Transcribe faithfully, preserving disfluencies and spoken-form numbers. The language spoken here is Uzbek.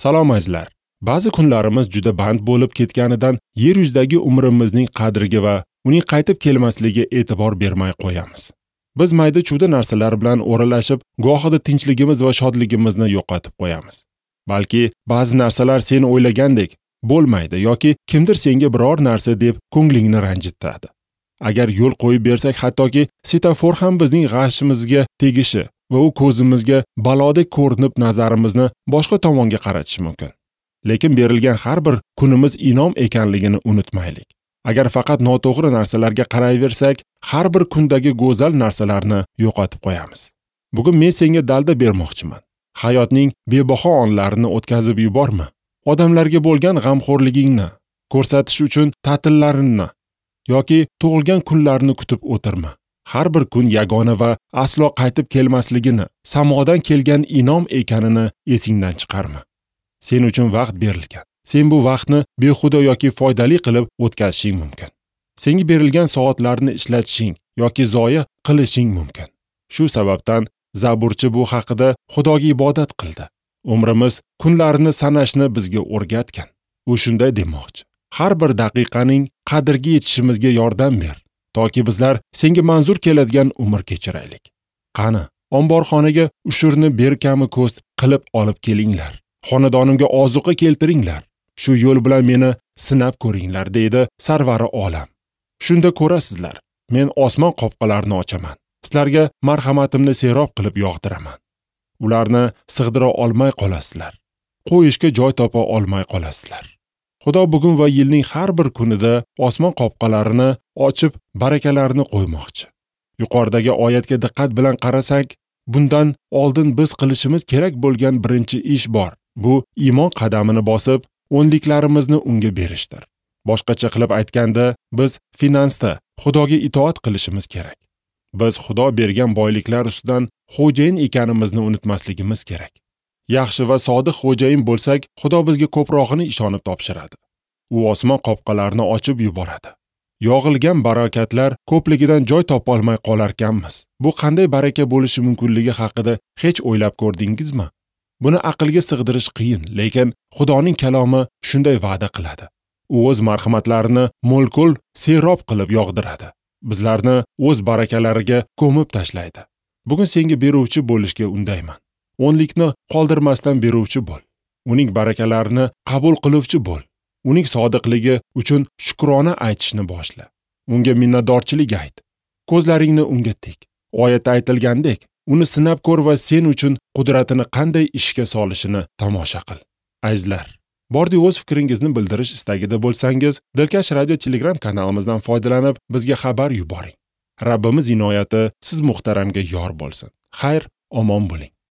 Salom azizlar. Ba'zi kunlarimiz juda band bo'lib ketganidan yer yuzidagi umrimizning qadriga va uning qaytib kelmasligiga e'tibor bermay qo'yamiz. Biz mayda-chuyda narsalar bilan o'ralashib, gohida tinchligimiz va shodligimizni yo'qotib qo'yamiz. Balki ba'zi narsalar sen o'ylagandek bo'lmaydi yoki kimdir senga biror narsa deb ko'nglingni ranjitadi. Agar yo'l qo'yib bersak, hattoki setafor ham bizning g'ashimizga tegishi va u ko'zimizga balodek ko'rinib nazarimizni boshqa tomonga qaratishi mumkin. Lekin berilgan har bir kunimiz inom ekanligini unutmaylik. Agar faqat noto'g'ri narsalarga qarayversak, har bir kundagi go'zal narsalarni yo'qotib qo'yamiz. Bugun men senga dalda bermoqchiman. Hayotning bebaho onlarini o'tkazib yuborma. Odamlarga bo'lgan g'amxo'rligingni ko'rsatish uchun ta'tillarini yoki tug'ilgan kunlarni kutib o'tirma. Har bir kun yagona va aslo qaytib kelmasligini, samodan kelgan inom ekanini esingdan chiqarma. Sen uchun vaqt berilgan. Sen bu vaqtni behuda yoki foydali qilib o'tkazishing mumkin. Senga berilgan soatlarni ishlatishing yoki zoya qilishing mumkin. Shu sababdan Zaburchi bu haqida Xudoga ibodat qildi. Umrimiz kunlarini sanashni bizga o'rgatgan. U shunday demoqchi: har bir daqiqaning qadriga yetishimizga yordam ber, toki bizlar senga manzur keladigan umr kechiraylik. Qani, omborxonaga ushurni berkami ko'st qilib olib kelinglar. Xonadonimga ozuqa keltiringlar. Shu yo'l bilan meni sinab ko'ringlar, deydi Sarvari olam. Shunda ko'rasizlar, men osmon qopqalarini ochaman. Sizlarga marhamatimni serob qilib yog'diraman. Ularni sig'dira olmay qolasizlar. Qo'yishga joy topa olmay qolasizlar. Xudo bugun va yilning har bir kunida osmon qopqalarini ochib, barakalarini qo'ymoqchi. Yuqoridagi oyatga diqqat bilan qarasak, bundan oldin biz qilishimiz kerak bo'lgan birinchi ish bor. Bu iymon qadamini bosib, o'nliklarimizni unga berishdir. Boshqacha qilib aytganda, biz finansda Xudoga itoat qilishimiz kerak. Biz Xudo bergan boyliklar ustidan xo'jayin ekanimizni unutmasligimiz kerak. Yaxshi va sodiq xo'jayin bo'lsak, Xudo bizga ko'prog'ini ishonib topshiradi. U osmon qopqalarini ochib yuboradi. Yog'ilgan barakatlar ko'pligidan joy topolmay qolarkanmiz. Bu qanday baraka bo'lishi mumkinligi haqida hech o'ylab ko'rdingizmi? Buni aqlga sig'dirish qiyin, lekin Xudoning kalomi shunday va'da qiladi. U o'z marhamatlarini mo'l-ko'l serob qilib yog'diradi. Bizlarni o'z barakalariga ko'mib tashlaydi. Bugun senga beruvchi bo'lishga undayman. O'nlikni qoldirmasdan beruvchi bo'l. Uning barakalarini qabul qiluvchi bo'l. Uning sodiqligi uchun shukrona aytishni boshla. Unga minnatdorchilik ayt. Ko'zlaringni unga tik. Oyatda aytilgandek, uni sinab ko'r va sen uchun qudratini qanday ishga solishini tomosha qil. Azizlar, bordi o'z fikringizni bildirish istagida bo'lsangiz, Dilkash Radio Telegram kanalimizdan foydalanib bizga xabar yuboring. Rabbimiz inoyati siz muhtaramga yor bo'lsin. Xayr, omon bo'ling.